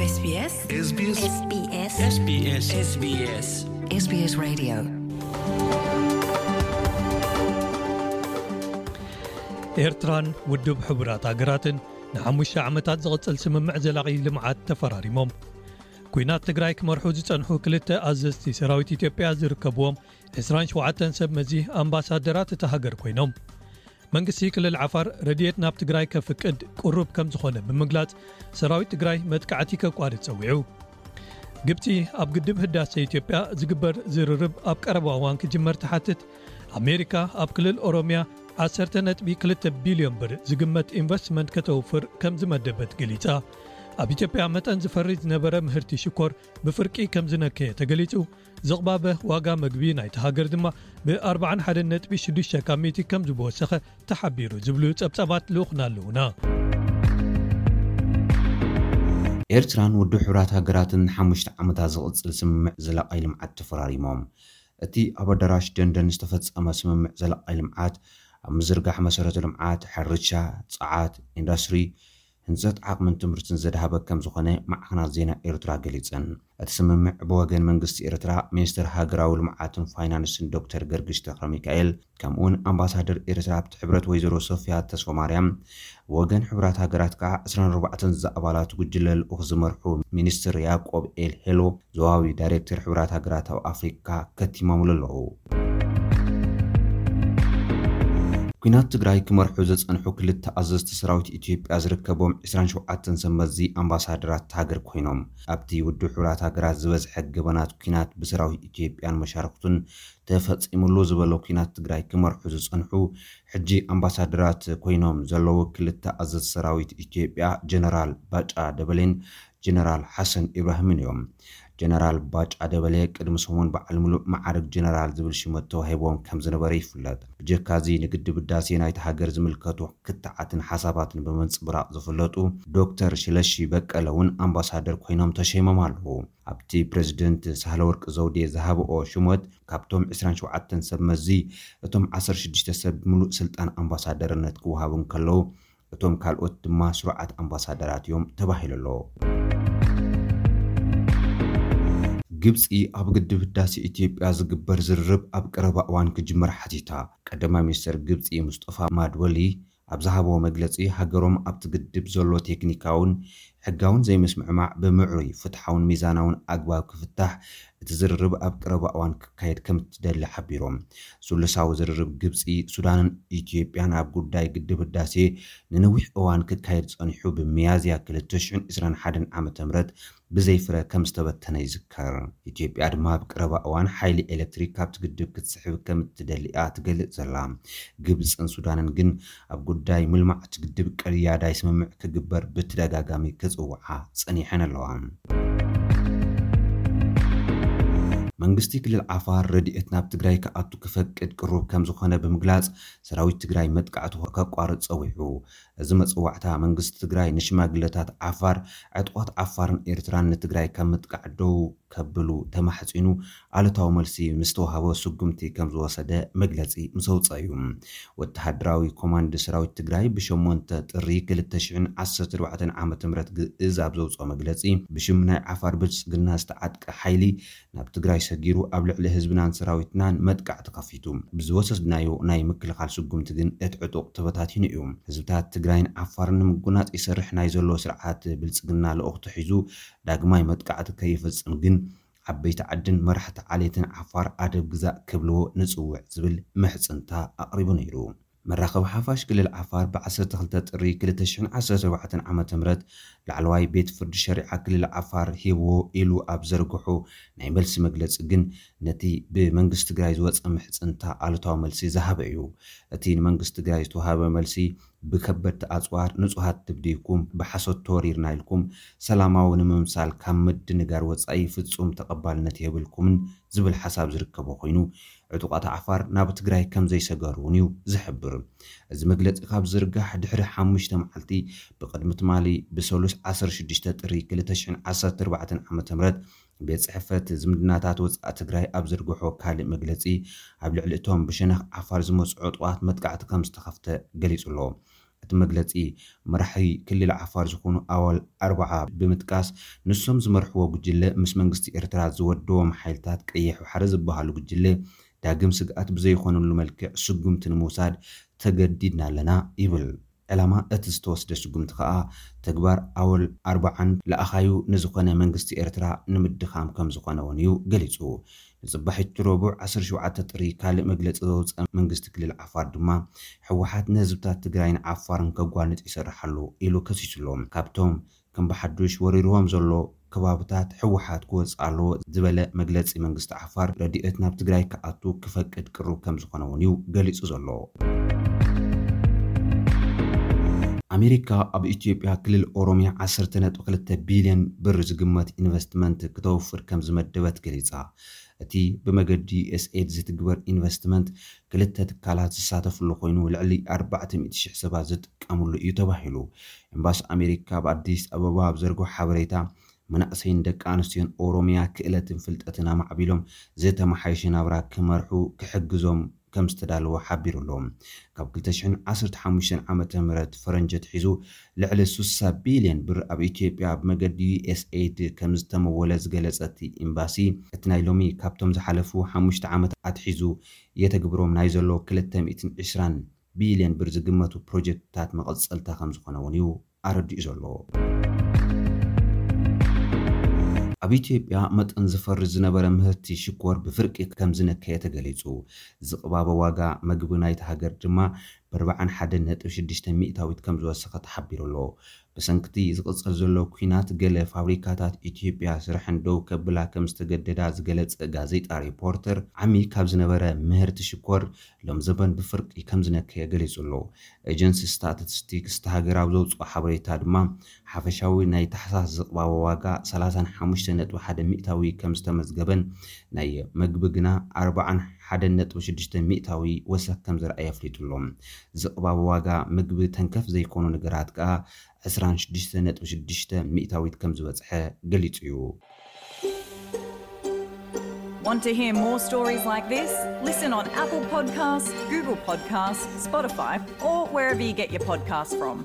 SBS SBS SBS SBS SBS SBS Radio. ኤርትራን ውድብ ሕቡራት ሃገራትን ንሓሙሽተ ዓመታት ዝቕጽል ስምምዕ ዘላቒ ልምዓት ተፈራሪሞም። ኲናት ትግራይ ክመርሑ ዝጸንሑ ክልተ ኣዘዝቲ ሰራዊት ኢትዮጵያ ዝርከብዎም ዕስራን ሸውዓተን ሰብ መዚ ኣምባሳደራት እታ ሃገር ኮይኖም። መንግስቲ ክልል ዓፋር ረድኤት ናብ ትግራይ ከፍቅድ ቅሩብ ከም ዝኾነ ብምግላጽ፣ ሰራዊት ትግራይ መጥቃዕቲ ከቋርጽ ጸዊዑ። ግብጺ ኣብ ግድብ ህዳሰ ኢትዮጵያ ዝግበር ዝርርብ ኣብ ቀረባ እዋን ክጅመር ትሓትት። ኣሜሪካ ኣብ ክልል ኦሮሚያ ዓሰርተ ነጥቢ ክልተ ቢልዮን ብር ዝግመት ኢንቨስትመንት ከተውፍር ከም ዝመደበት ገሊጻ። ኣብ ኢትዮጵያ መጠን ዝፈሪ ዝነበረ ምህርቲ ሽኮር ብፍርቂ ከም ዝነከየ ተገሊጹ። ዝቕባበ ዋጋ መግቢ ናይቲ ሃገር ድማ ብ ኣርባዓን ሓደን ነጥቢ ሽዱሽተ ካብ ሚእቲ ከም ዝወሰኸ ተሓቢሩ ዝብሉ ጸብጻባት ልኡኽና ኣለዉና። ኤርትራን ውድብ ሕቡራት ሃገራትን ንሓሙሽተ ዓመታት ዝቕጽል ስምምዕ ዘላቒ ልምዓት ተፈራሪሞም። እቲ ኣብ ኣዳራሽ ደንደን ዝተፈጸመ ስምምዕ ዘላቒ ልምዓት ኣብ ምዝርጋሕ መሰረተ ልምዓት፣ ሕርሻ፣ ጸዓት፣ ኢንዱስትሪ፣ ህንጸት ዓቕምን ትምህርትን ዘድሃበ ከም ዝኾነ ማዕኸናት ዜና ኤርትራ ገሊጸን። እቲ ስምምዕ ብወገን መንግስቲ ኤርትራ፣ ሚኒስትር ሃገራዊ ልምዓትን ፋይናንስን ዶክተር ገርግሽ ተኽለሚካኤል፣ ከምኡውን ኣምባሳደር ኤርትራ ኣብቲ ሕብረት ወይዘሮ ሶፊያ ተስፋማርያም፣ ብወገን ሕቡራት ሃገራት ከዓ ዕስራን ኣርባዕተን ዝኣባላት ጉጅለ ልኡኽ ዝመርሑ ሚኒስትር ያዕቆብ ኤል ሄሎ፣ ዞባዊ ዳይሬክተር ሕቡራት ሃገራት ኣብ ኣፍሪካ ከቲሞምሉ ኣለዉ። ኲናት ትግራይ ክመርሑ ዝጸንሑ ክልተ ኣዘዝቲ ሰራዊት ኢትዮጵያ ዝርከቦም ዕስራን ሸውዓተን ሰብ መዚ ኣምባሳደራት ሃገር ኮይኖም፣ ኣብቲ ውድብ ሕቡራት ሃገራት ዝበዝሐ ገበናት ኲናት ብሰራዊት ኢትዮጵያን መሻርክቱን ተፈጺሙሉ ዝበሎ ኲናት ትግራይ ክመርሑ ዝጸንሑ ሕጂ ኣምባሳደራት ኮይኖም ዘለዉ ክልተ ኣዘዝቲ ሰራዊት ኢትዮጵያ ጀነራል ባጫ ደበሌን ጀነራል ሓሰን ኢብራሂምን እዮም። ጀነራል ባጫ ደበሌ ቅድሚ ሰሙን በዓል ምሉእ መዓርግ ጀነራል ዝብል ሽመት ተዋሂቦም ከም ዝነበረ ይፍለጥ። ብጀካ እዚ ንግድብ ህዳሴ ናይቲ ሃገር ዝምልከቱ ክትዓትን ሓሳባትን ብምንጽብራቕ ዝፍለጡ ዶክተር ሽለሺ በቀለ እውን ኣምባሳደር ኮይኖም ተሸይሞም ኣለዉ። ኣብቲ ፕሬዝደንት ሳህለወርቅ ዘውዴ ዝሃብኦ ሽመት ካብቶም ዕስራን ሸውዓተን ሰብ መዚ እቶም ዓሰርተ ሽዱሽተ ሰብ ብምሉእ ስልጣን ኣምባሳደርነት ክወሃቡ እንከለዉ እቶም ካልኦት ድማ ስሩዓት ኣምባሳደራት እዮም ተባሂሉ ኣሎ። ግብጺ ኣብ ግድብ ህዳሴ ኢትዮጵያ ዝግበር ዝርርብ ኣብ ቀረባ እዋን ክጅመር ሓቲታ። ቀዳማይ ሚኒስትር ግብጺ ሙስጠፋ ማድወሊ ኣብ ዝሃቦ መግለጺ፣ ሃገሮም ኣብቲ ግድብ ዘሎ ቴክኒካውን ሕጋውን ዘይምስምዕማዕ ብምዕሩይ፣ ፍትሓውን ሚዛናውን ኣግባብ ክፍታሕ እቲ ዝርርብ ኣብ ቀረባ እዋን ክካየድ ከም እትደሊ ሓቢሮም። ስሉሳዊ ዝርርብ ግብጺ፣ ሱዳንን ኢትዮጵያን ኣብ ጉዳይ ግድብ ህዳሴ ንነዊሕ እዋን ክካየድ ጸኒሑ፣ ብሚያዝያ ክልተ ሽሕን ዕስራን ሓደን ዓመተ ምህረት ብዘይ ፍረ ከም ዝተበተነ ይዝከር። ኢትዮጵያ ድማ ኣብ ቀረባ እዋን ሓይሊ ኤሌክትሪክ ካብቲ ግድብ ክትስሕብ ከም እትደሊ እያ ትገልጽ ዘላ። ግብጽን ሱዳንን ግን ኣብ ጉዳይ ምልማዕ እቲ ግድብ ቀያዳይ ስምምዕ ክግበር ብተደጋጋሚ ክጽውዓ ጸኒሐን ኣለዋ። መንግስቲ ክልል ዓፋር ረድኤት ናብ ትግራይ ክኣቱ ክፈቅድ ቅሩብ ከም ዝኾነ ብምግላጽ፣ ሰራዊት ትግራይ መጥቃዕቱ ከቋርጽ ጸዊዑ። እዚ መጽዋዕታ መንግስቲ ትግራይ ንሽማግለታት ዓፋር፣ ዕጡቓት ዓፋርን ኤርትራን ንትግራይ ካብ ምጥቃዕ ደው ከብሉ ተማሕጺኑ፣ ኣሉታዊ መልሲ ምስ ተዋህቦ ስጉምቲ ከም ዝወሰደ መግለጺ ምስ ኣውጽአ እዩ። ወተሃደራዊ ኮማንድ ሰራዊት ትግራይ ብሸሞንተ ጥሪ ክልተ ሽሕን ዓሰርተ ኣርባዕተን ዓመተ ምህረት ግእዝ ኣብ ዘውጽኦ መግለጺ፣ ብሽም ናይ ዓፋር ብልጽግና ዝተዓጥቀ ሓይሊ ናብ ትግራይ ሰጊሩ ኣብ ልዕሊ ህዝብናን ሰራዊትናን መጥቃዕቲ ከፊቱ። ብዝወሰድናዮ ናይ ምክልኻል ስጉምቲ ግን እቲ ዕጡቕ ተበታቲኑ እዩ። ህዝብታት ትግራይን ዓፋርን ንምጉናጽ ይሰርሕ ናይ ዘሎ ስርዓት ብልጽግና ልኡኽቶ ሒዙ ዳግማይ መጥቃዕቲ ከይፍጽም ግን ዓበይቲ ዓድን መራሕቲ ዓሌትን ዓፋር ኣደብ ግዛእ ክብልዎ ንጽውዕ ዝብል ምሕጽንታ ኣቕሪቡ ነይሩ። መራኸቢ ሓፋሽ ክልል ዓፋር ብ ዓሰርተ ክልተ ጥሪ ክልተ ሽሕን ዓሰርተ ኣርባዕተን ዓመተ ምህረት ላዕለዋይ ቤት ፍርዲ ሸሪዓ ክልል ዓፋር ሂብዎ ኢሉ ኣብ ዘርግሖ ናይ መልሲ መግለጺ ግን ነቲ ብመንግስቲ ትግራይ ዝወጸ ምሕጽንታ ኣሉታዊ መልሲ ዝሃበ እዩ። እቲ ንመንግስቲ ትግራይ ዝተዋሃበ መልሲ ብከበድቲ ኣጽዋር ንጹሃት ድብዲብኩም ብሓሶት ተወሪርና ኢልኩም ሰላማዊ ንምምሳል ካብ ምድንጋር ወጻኢ ፍጹም ተቐባልነት የብልኩምን ዝብል ሓሳብ ዝርከቦ ኮይኑ ዕጡቓት ዓፋር ናብ ትግራይ ከም ዘይሰገሩ እውን እዩ ዝሕብር። እዚ መግለጺ ካብ ዝርጋሕ ድሕሪ ሓሙሽተ መዓልቲ ብቕድሚ ትማሊ ብሰሉስ ዓሰርተ ሽዱሽተ ጥሪ ክልተ ሽሕን ዓሰርተ ኣርባዕተን ዓመተ ምህረት ቤት ጽሕፈት ዝምድናታት ወጻኢ ትግራይ ኣብ ዘርግሖ ካልእ መግለጺ ኣብ ልዕሊ እቶም ብሸነኽ ዓፋር ዝመጹ ዕጡቓት መጥቃዕቲ ከም ዝተኸፍተ ገሊጹ ኣሎ። እቲ መግለጺ መራሒ ክልል ዓፋር ዝኾኑ ኣዋል ኣርባዓ ብምጥቃስ፣ ንሶም ዝመርሕዎ ጉጅለ ምስ መንግስቲ ኤርትራ ዝወደዎም ሓይልታት ቀይሕ ባሕሪ ዝበሃሉ ጉጅለ ዳግም ስግኣት ብዘይኾነሉ መልክዕ ስጉምቲ ንምውሳድ ተገዲድና ኣለና ይብል። ዕላማ እቲ ዝተወስደ ስጉምቲ ከኣ ተግባር ኣወል ኣርባዓን ለኣኻዩ ንዝኾነ መንግስቲ ኤርትራ ንምድኻም ከም ዝኾነ እውን እዩ ገሊጹ። ንጽባሒቱ ረቡዕ ዓሰርተ ሸውዓተ ጥሪ ካልእ መግለጺ ዘውፅአ መንግስቲ ክልል ዓፋር ድማ፣ ህወሓት ንህዝብታት ትግራይን ዓፋርን ከጓንጽ ይሰርሕ ኣሎ ኢሉ ከሲሱሎም። ካብቶም ከም ብሓዱሽ ወሪርዎም ዘሎ ከባብታት ህወሓት ክወፅእ ኣለዎ ዝበለ መግለፂ መንግስቲ ዓፋር፣ ረድኤት ናብ ትግራይ ክኣቱ ክፈቅድ ቅሩብ ከም ዝኾነ እውን እዩ ገሊፁ ዘሎ። ኣሜሪካ ኣብ ኢትዮጵያ ክልል ኦሮሚያ ዓሰርተ ነጥቢ ክልተ ቢልዮን ብር ዝግመት ኢንቨስትመንት ክተውፍር ከም ዝመደበት ገሊጻ። እቲ ብመገዲ ዩኤስኤድ ዝትግበር ኢንቨስትመንት ክልተ ትካላት ዝሳተፍሉ ኮይኑ፣ ልዕሊ ኣርባዕተ ሚእቲ ሽሕ ሰባት ዝጥቀምሉ እዩ ተባሂሉ። ኤምባሲ ኣሜሪካ ኣብ ኣዲስ ኣበባ ኣብ ዘርግሖ ሓበሬታ፣ መናእሰይን ደቂ ኣንስትዮን ኦሮሚያ ክእለትን ፍልጠትን ኣማዕቢሎም ዝተመሓየሸ ናብራ ክመርሑ ክሕግዞም ከም ዝተዳለወ ሓቢሩ ኣሎ። ካብ ክልተ ሽሕን ዓሰርተ ሓሙሽተን ዓመተ ምህረት ፈረንጂ ኣትሒዙ ልዕሊ ስሳ ቢልዮን ብር ኣብ ኢትዮጵያ ብመገዲ ዩኤስኤድ ከም ዝተመወለ ዝገለጸ እቲ ኤምባሲ፣ እቲ ናይ ሎሚ ካብቶም ዝሓለፉ ሓሙሽተ ዓመት ኣትሒዙ የተግብሮም ናይ ዘሎ ክልተ ሚእትን ዕስራን ቢልዮን ብር ዝግመቱ ፕሮጀክትታት መቐጸልታ ከም ዝኾነ እውን እዩ ኣረዲኡ ዘሎ። ኣብ ኢትዮጵያ መጠን ዝፈሪ ዝነበረ ምህርቲ ሽኮር ብፍርቂ ከም ዝነከየ ተገሊጹ። ዝቕባበ ዋጋ መግቢ ናይቲ ሃገር ድማ ብኣርባዓን ሓደን ነጥቢ ሽዱሽተ ሚእታዊት ከም ዝወሰኸ ተሓቢሩ ኣሎ። ብሰንክቲ ዝቕጽል ዘሎ ኲናት፣ ገለ ፋብሪካታት ኢትዮጵያ ስርሐን ደው ከብላ ከም ዝተገደዳ ዝገለጸ ጋዜጣ ሪፖርተር፣ ዓሚ ካብ ዝነበረ ምህርቲ ሽኮር ሎም ዘበን ብፍርቂ ከም ዝነከየ ገሊጹ ኣሎ። ኤጀንሲ ስታቲስቲክስ እቲ ሃገር ኣብ ዘውጽኦ ሓበሬታ ድማ፣ ሓፈሻዊ ናይ ታሕሳስ ዝቕባበ ዋጋ ሰላሳን ሓሙሽተ ነጥቢ ሓደ ሚእታዊ ከም ዝተመዝገበን፣ ናይ መግቢ ግና ኣርባዓን ሓደን ነጥቢ ሽዱሽተ ሚእታዊ ወሰኽ ከም ዘርኣየ ኣፍሊጡ ኣሎ። ዝቕባበ ዋጋ ምግቢ ተንከፍ ዘይኮኑ ነገራት ከኣ ዕስራን ሽዱሽተ ነጥቢ ሽዱሽተ ሚእታዊት ከም ዝበጽሐ ገሊጹ እዩ። Want to hear more stories like this? Listen on Apple Podcasts, Google Podcasts, Spotify, or wherever you get your podcasts from.